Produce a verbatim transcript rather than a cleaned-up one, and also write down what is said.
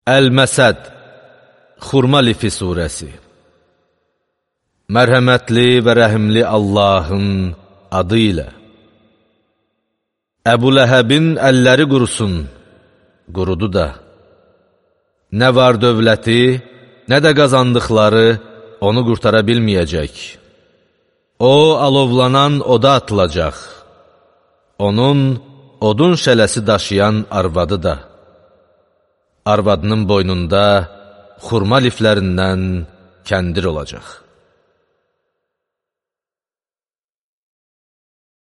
Əl-Məsəd, Xurma lifi surəsi. Mərhəmətli və rəhimli Allahın adı ilə. Əbu Ləhəbin əlləri qurusun, qurudu da. Nə var dövləti, nə də qazandıqları onu qurtara bilməyəcək. O, alovlanan oda atılacaq. Onun odun şələsi daşıyan arvadı da. Arvadının boynunda xurma liflərindən kəndir olacaq.